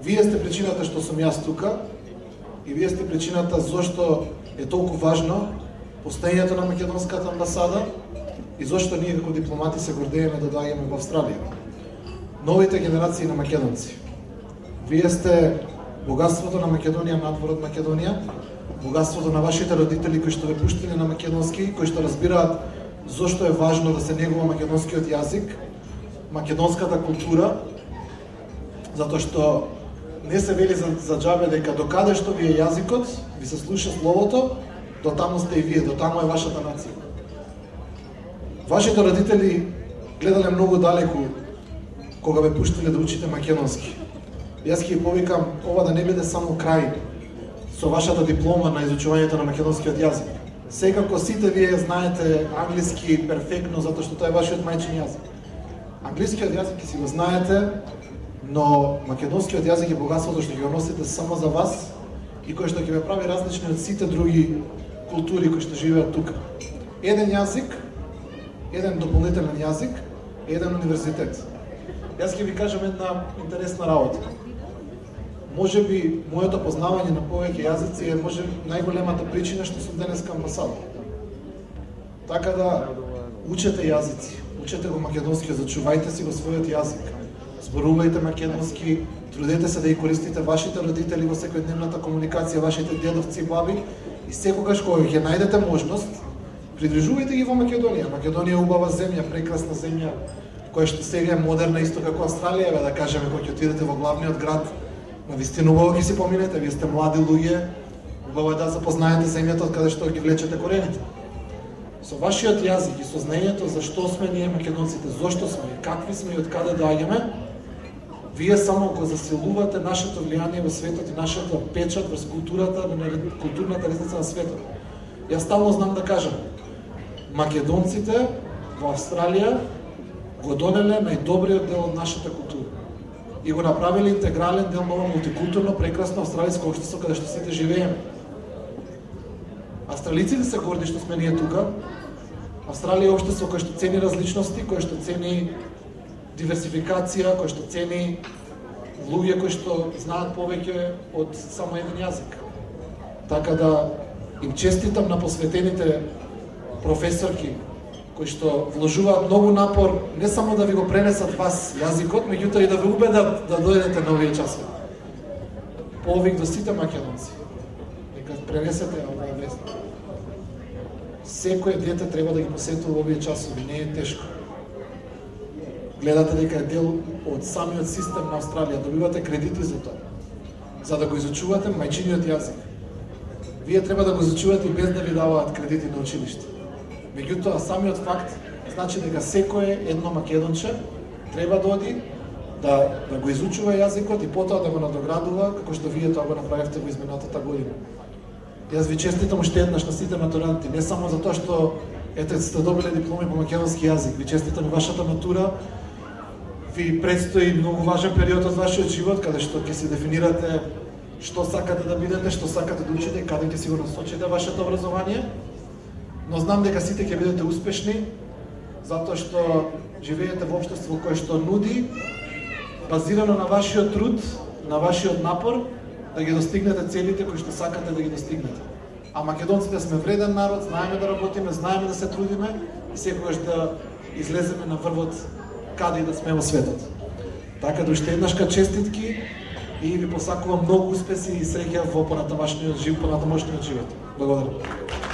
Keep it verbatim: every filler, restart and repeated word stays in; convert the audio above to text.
Вие сте причината што сум јас тука и вие сте причината зошто е толку важно постоењето на македонската амбасада и зошто ние како дипломати се гордееме да доаѓаме во Австралија. Новите генерации на македонци. Вие сте богатството на Македонија надвор од Македонија, богатството на вашите родители кои што ве пуштиле на македонски, кои што разбираат зошто е важно да се негува македонскиот јазик, македонската култура, затоа што не се вели за, за џабе дека докаде што ви е јазикот, ви се слуша словото, до таму сте и вие, до таму е вашата нација. Вашите родители гледале многу далеку кога ве пуштиле да учите македонски. Јас ќе повикам ова да не биде само крај со вашата диплома на изучувањето на македонскиот јазик. Секако сите вие знаете англиски перфектно затоа што тоа е вашиот мајчин јазик. Англискиот јазик ќе си го знаете, но македонскиот јазик е богатството што ќе го носите само за вас и кој што ќе ве прави различни од сите други култури кои што живеат тука. Еден јазик, еден дополнителен јазик, еден универзитет. Јас ќе ви кажам една интересна работа. Може би моето познавање на повеќе јазици е може најголемата причина што сум денеска амбасадор. Така да учете јазици, учете го македонски, зачувајте си го својот јазик. Зборувајте македонски, трудете се да ја користите вашите родители во секојдневната комуникација, вашите дедовци и баби и секогаш кога ќе најдете можност, придружувајте ги во Македонија. Македонија е убава земја, прекрасна земја, која што сега е модерна исто како Австралија, бе, да кажеме, кога ќе отидете во главниот град, навистина убаво ќе си поминете, вие сте млади луѓе, убаво е да запознаете земјата од каде што ги влечете корените. Со вашиот јазик и со знаењето за што сме ние македонците, зошто сме, какви сме и од каде доаѓаме, вие само го засилувате нашето влијание во светот и нашата печат врз културата, културната лестница на светот. Јас стално знам да кажам, македонците во Австралија го донеле најдобриот дел од нашата култура и го направиле интегрален дел на ова мултикултурно прекрасно австралиско општество каде што сите живееме. Австралиците се горди што сме ние тука. Австралија е општество кое што цени различности, кое што цени диверсификација, кое што цени луѓе кои што знаат повеќе од само еден јазик. Така да им честитам на посветените професорки кои што вложуваат многу напор не само да ви го пренесат вас јазикот, меѓутоа и да ве убедат да дојдете на овие часови. Повик до сите македонци, нека пренесете оваа вест. Секој дете треба да ги посетува овие часови, не е тешко. Гледате дека е дел од самиот систем на Австралија, добивате кредити за тоа, за да го изучувате мајчиниот јазик. Вие треба да го изучувате и без да ви даваат кредити на училиште. Меѓутоа, самиот факт значи дека секое едно македонче треба да оди да, да го изучува јазикот и потоа да го надоградува, како што вие тоа го направивте во изминатата година. Јас ви честитам уште еднаш на сите матуранти, не само за тоа што ете сте добиле дипломи по македонски јазик, ви честитам и вашата матура. Ви предстои многу важен период од вашиот живот, каде што ќе си дефинирате што сакате да бидете, што сакате да учите, каде ќе си го насочите вашето образование. Но знам дека сите ќе бидете успешни, затоа што живеете во општество кое што нуди, базирано на вашиот труд, на вашиот напор, да ги достигнете целите кои што сакате да ги достигнете. А македонците сме вреден народ, знаеме да работиме, знаеме да се трудиме и секогаш да излеземе на врвот каде и да сме во светот. Така да уште еднашка честитки и ви посакувам многу успеси и среќа во понатамошниот живот, понатамошниот живот. Благодарам.